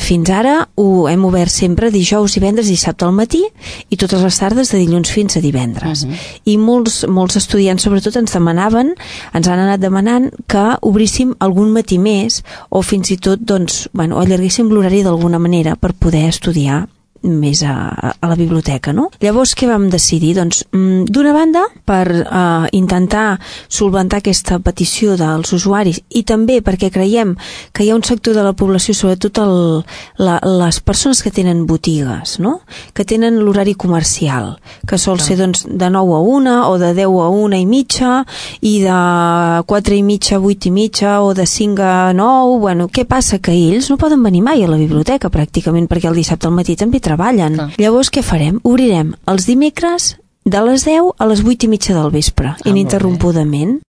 fins ara ho hem obert sempre dijous, divendres, dissabte al matí i totes les tardes de dilluns fins a divendres. I molts estudiants sobretot ens han anat demanant que obríssim algun matí més o fins i tot allarguéssim l'horari d'alguna manera per poder estudiar més a la biblioteca, no? Llavors, què vam decidir? Doncs, d'una banda, per intentar solventar aquesta petició dels usuaris i també perquè creiem que hi ha un sector de la població, sobretot les persones que tenen botigues, no? Que tenen l'horari comercial, que sol ser doncs, de 9 a 1 o de 10 a 1 i mitja i de 4 i mitja a 8 i mitja o de 5 a 9. Bueno, què passa? Que ells no poden venir mai a la biblioteca pràcticament perquè el dissabte al matí també treballen. Llavors què farem? Obrirem els dimecres de les 10 a les 8 i mitja del vespre, ininterrompudament.